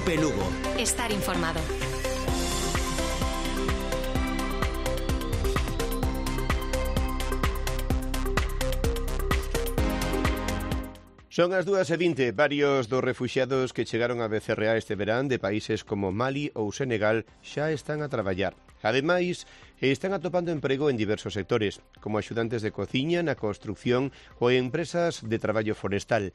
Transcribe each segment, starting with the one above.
Cope Lugo. Estar informado. Son as 2:20. Varios dos refuxiados que chegaron a Becerreá este verán de países como Mali ou Senegal xa están a traballar. Ademais, están atopando emprego en diversos sectores, como axudantes de cociña, na construcción ou en empresas de traballo forestal.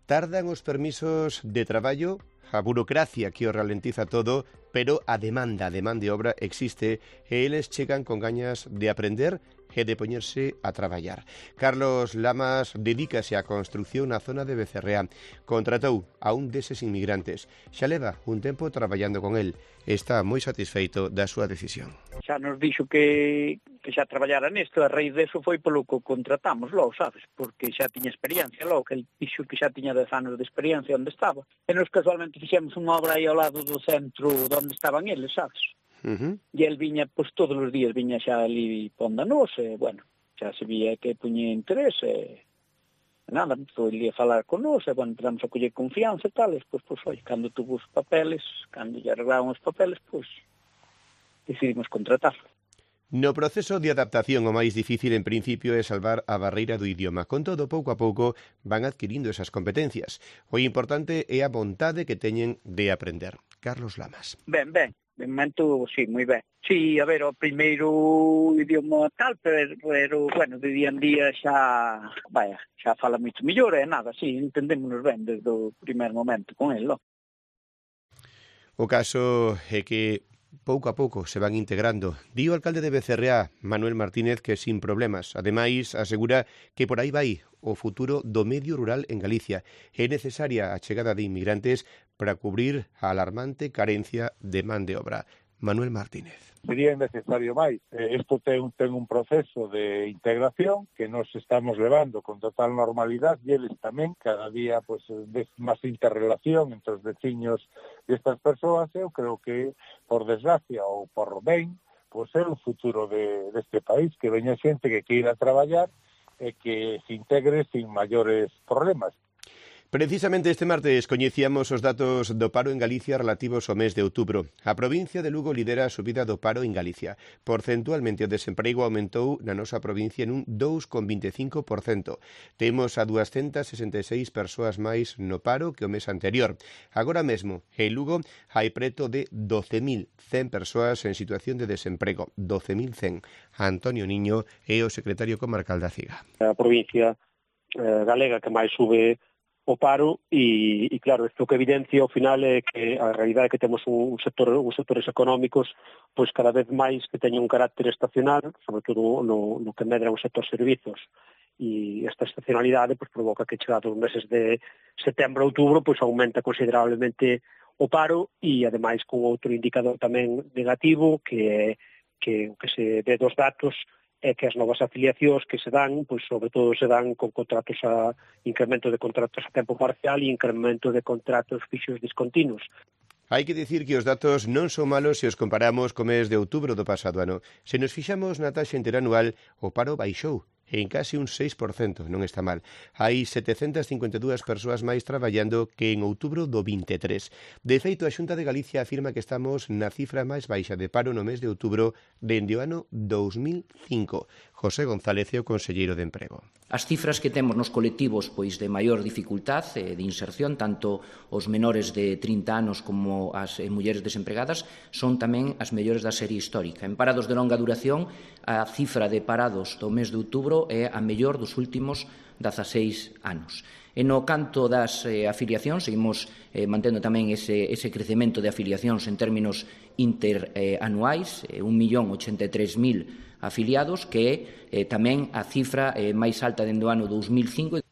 Tardan os permisos de traballo, a burocracia que o ralentiza todo, pero a demanda de obra existe e eles chegan con gañas de aprender e de poñerse a traballar. Carlos Lamas dedícase á construcción na zona de Becerreá. Contratou a un deses inmigrantes. Xa leva un tempo traballando con el. Está moi satisfeito da súa decisión. Xa nos dixo que xa traballara nisto, a raíz deso foi polo que contratamos logo, sabes? Porque xa tiña experiencia logo, que el dixo que xa tiña 10 anos de experiencia onde estaba. E nos casualmente fixemos unha obra aí ao lado do centro onde estaban eles, sabes? E el viña, pois todos os días viña xa ali pondanos, e, bueno, xa se vía que puñía interés, e nada, foi ali a falar con nos, e, bueno, empezamos a coller confianza e tal, e pois, oi, cando tuvo os papeles, cando lle arreglaron os papeles, pois, decidimos contratarlo. No proceso de adaptación o máis difícil en principio é salvar a barreira do idioma. Con todo, pouco a pouco van adquirindo esas competencias. O importante é a vontade que teñen de aprender. Carlos Lamas. Ben, de momento, sí, moi ben. Sí, a ver, o primeiro idioma tal, pero bueno, de día en día xa fala moito mellor, e nada, sí, entendémonos ben desde o primer momento con el, no? O caso é que pouco a pouco se van integrando. Di o alcalde de Becerreá, Manuel Martínez, que sin problemas. Ademais, asegura que por aí vai o futuro do medio rural en Galicia. É necesaria a chegada de inmigrantes para cubrir a alarmante carencia de man de obra. Manuel Martínez. Sería necesario máis. Isto ten un proceso de integración que nos estamos levando con total normalidade e eles tamén, cada día pues, ves máis interrelación entre os veciños destas persoas. Eu creo que, por desgracia ou por ben, pues, é o futuro deste país, que veña xente que queira traballar e que se integre sin maiores problemas. Precisamente este martes coñecíamos os datos do paro en Galicia relativos ao mes de outubro. A provincia de Lugo lidera a subida do paro en Galicia. Porcentualmente o desemprego aumentou na nosa provincia en un 2,25%. Temos a 266 persoas máis no paro que o mes anterior. Agora mesmo, en Lugo, hai preto de 12.100 persoas en situación de desemprego. 12.100. Antonio Niño é o secretario comarcal da CIGA. A provincia galega que máis sube o paro e claro, isto que evidencia ao final é que a realidade é que temos uns sectores económicos pois cada vez máis que teñen un carácter estacional, sobre todo no que medra o sector servizos, e esta estacionalidade pois provoca que chegados os meses de setembro a outubro pois aumenta considerablemente o paro e ademais con outro indicador tamén negativo que se ve dos datos é que as novas afiliacións que se dan, pois sobre todo se dan con contratos incremento de contratos a tempo parcial e incremento de contratos fixos discontinuos. Hai que dicir que os datos non son malos se os comparamos co mes de outubro do pasado ano. Se nos fixamos na taxa interanual, o paro baixou en case un 6%, non está mal. Hai 752 persoas máis traballando que en outubro do 23. De feito, a Xunta de Galicia afirma que estamos na cifra máis baixa de paro no mes de outubro dende o ano 2005. José González é o conselleiro de Emprego. As cifras que temos nos colectivos pois de maior dificultade de inserción, tanto os menores de 30 anos como as mulleres desempregadas, son tamén as mellores da serie histórica. En parados de longa duración, a cifra de parados do mes de outubro é a mellor dos últimos 16 anos. E no canto das afiliacións, seguimos mantendo tamén ese crecemento de afiliacións en términos interanuais, 1.083.000 afiliados, que é tamén a cifra máis alta dende o ano 2005.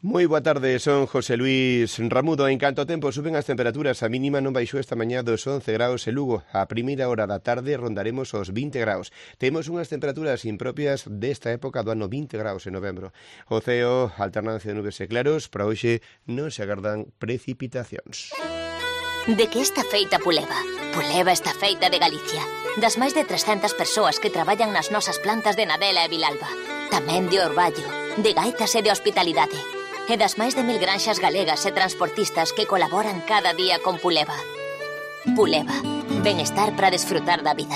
Moi boa tarde, son José Luis Ramudo. En canto ao tempo suben as temperaturas, a mínima non baixou esta mañá dos 11 graus en Lugo. A primeira hora da tarde rondaremos os 20 graus. Temos unhas temperaturas impropias desta época do ano, 20 graus en novembro. O ceo, alternancia de nubes e claros, para hoxe non se agardan precipitacións. De que está feita Puleva? Puleva está feita de Galicia. Das máis de 300 persoas que traballan nas nosas plantas de Nadela e Vilalba. Tamén de Orballo, de Gaitas e de Hospitalidade. e das máis de 1000 granxas galegas e transportistas que colaboran cada día con Puleva. Puleva, benestar para desfrutar da vida.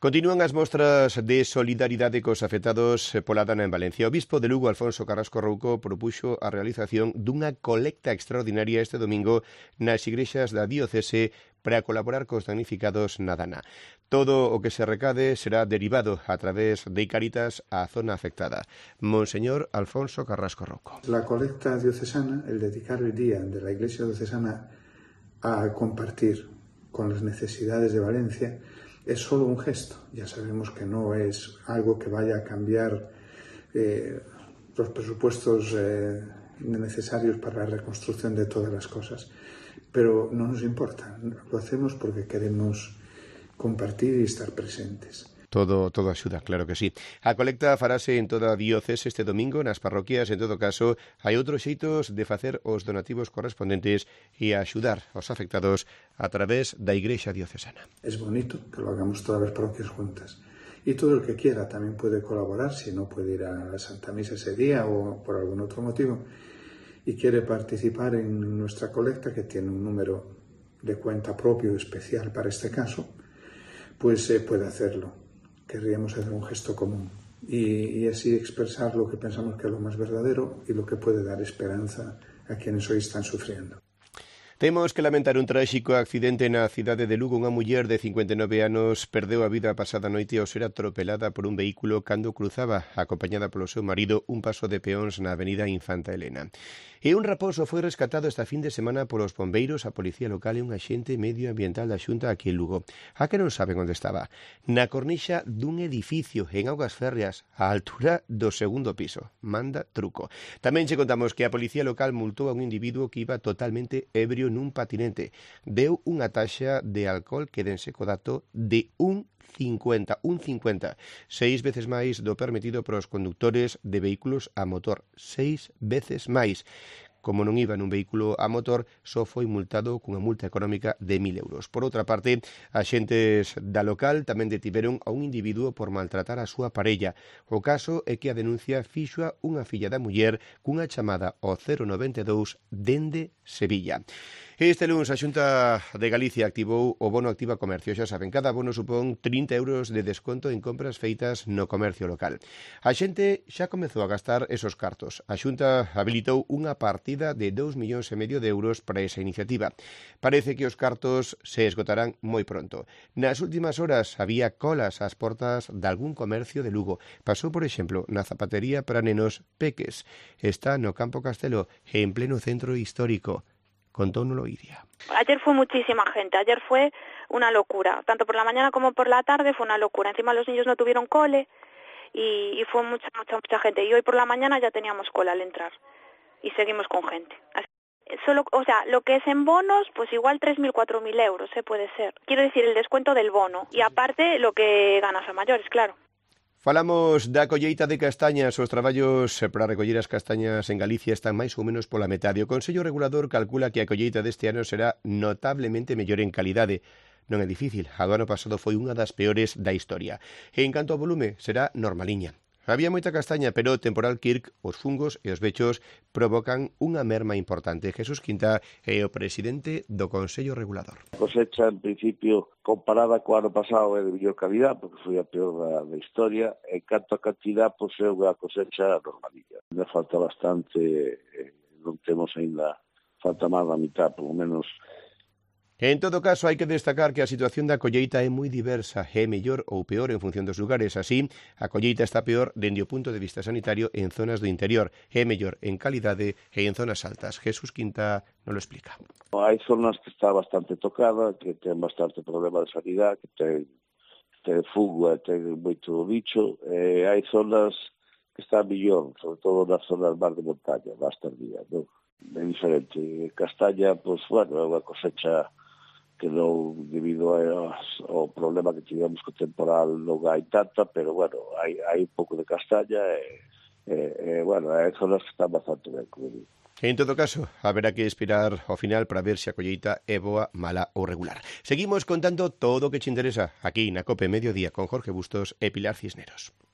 Continúan as mostras de solidaridade cos afectados pola dana en Valencia. O bispo de Lugo, Alfonso Carrasco Rouco, propuxo a realización dunha colecta extraordinaria este domingo nas igrexas da diocese para colaborar cos damnificados na dana. Todo o que se recade será derivado a través de Cáritas á zona afectada. Monseñor Alfonso Carrasco Rouco. La colecta diocesana, el dedicar el día de la Iglesia diocesana a compartir con las necesidades de Valencia, es solo un gesto. Ya sabemos que no es algo que vaya a cambiar los presupuestos necesarios para la reconstrucción de todas las cosas. Pero no nos importa. Lo hacemos porque queremos compartir y estar presentes. Todo axuda, claro que sí. A colecta farase en toda a diocese este domingo nas parroquias. En todo caso, hai outros xeitos de facer os donativos correspondentes e axudar aos afectados a través da Igrexa diocesana. Es bonito que lo hagamos todas las parroquias juntas. Y todo el que quiera también puede colaborar, si no puede ir a la Santa Misa ese día o por algún otro motivo, y quiere participar en nuestra colecta, que tiene un número de cuenta propio especial para este caso, pues puede hacerlo. Querríamos hacer un gesto común y así expresar lo que pensamos que es lo más verdadero y lo que puede dar esperanza a quienes hoy están sufriendo. Temos que lamentar un tráxico accidente na cidade de Lugo. Unha muller de 59 anos perdeu a vida a pasada noite ao ser atropelada por un vehículo cando cruzaba, acompañada polo seu marido, un paso de peóns na avenida Infanta Elena. E un raposo foi rescatado esta fin de semana polos bombeiros, a policía local e un axente medioambiental da Xunta aquí en Lugo. A que non saben onde estaba? Na cornixa dun edificio en Augas Férreas, á altura do segundo piso. Manda truco. Tamén che contamos que a policía local multou a un individuo que iba totalmente ebrio nun patinete. Deu unha taxa de alcohol, quédense co dato, de 1,50, 6 veces máis do permitido para os condutores de vehículos a motor, 6 veces máis. Como non iba nun vehículo a motor, só foi multado cunha multa económica de 1.000 euros. Por outra parte, axentes da local tamén detiveron a un individuo por maltratar a súa parella. O caso é que a denuncia fixoa unha filla da muller cunha chamada ao 092 dende Sevilla. Este lunes a Xunta de Galicia activou o bono Activa Comercio. Xa saben, cada bono supón 30 euros de desconto en compras feitas no comercio local. A xente xa comezou a gastar esos cartos. A Xunta habilitou unha partida de 2,5 millóns de euros para esa iniciativa. Parece que os cartos se esgotarán moi pronto. Nas últimas horas había colas ás portas de algún comercio de Lugo. Pasou, por exemplo, na zapatería para nenos Peques. Está no Campo Castelo, en pleno centro histórico. Contónolo Iria. Ayer fue muchísima gente, ayer fue una locura, tanto por la mañana como por la tarde fue una locura. Encima los niños no tuvieron cole y fue mucha gente. Y hoy por la mañana ya teníamos cola al entrar y seguimos con gente. Así, solo, o sea, lo que es en bonos, pues igual 3.000, 4.000 euros, puede ser. Quiero decir, el descuento del bono y aparte lo que ganas a mayores, claro. Falamos da colleita de castañas. Os traballos para recoller as castañas en Galicia están máis ou menos pola metade. O Consello Regulador calcula que a colleita deste ano será notablemente mellor en calidade. Non é difícil, a do ano pasado foi unha das peores da historia. E en canto ao volume, será normaliña. Había moita castaña, pero o temporal Kirk, os fungos e os bechos provocan unha merma importante. Jesús Quinta é o presidente do Consello Regulador. A cosecha, en principio, comparada co ano pasado, é de mellor calidad, porque foi a peor da historia. En canto a cantidad, pois é unha cosecha normalilla. Ainda falta bastante, non temos ainda, falta máis da mitad, polo menos. En todo caso, hai que destacar que a situación da colleita é moi diversa, é mellor ou peor en función dos lugares. Así, a colleita está peor dende o punto de vista sanitario en zonas do interior, é mellor en calidade e en zonas altas. Jesús Quinta nos lo explica. Hai zonas que está bastante tocada, que ten bastante problema de sanidade, que ten fungo e ten moito bicho, e hai zonas que están millón, sobre todo nas zonas máis de montaña, máis tardía, non? É diferente. Castaña, pois, bueno, é unha cosecha que non, debido ao problema que tivemos co temporal, non hai tanta, pero, bueno, hai un pouco de castaña e bueno, hai zonas que están bastante ben, como digo. En todo caso, haberá que esperar ao final para ver se a colleita é boa, mala ou regular. Seguimos contando todo o que te interesa aquí na COPE Mediodía con Jorge Bustos e Pilar Cisneros.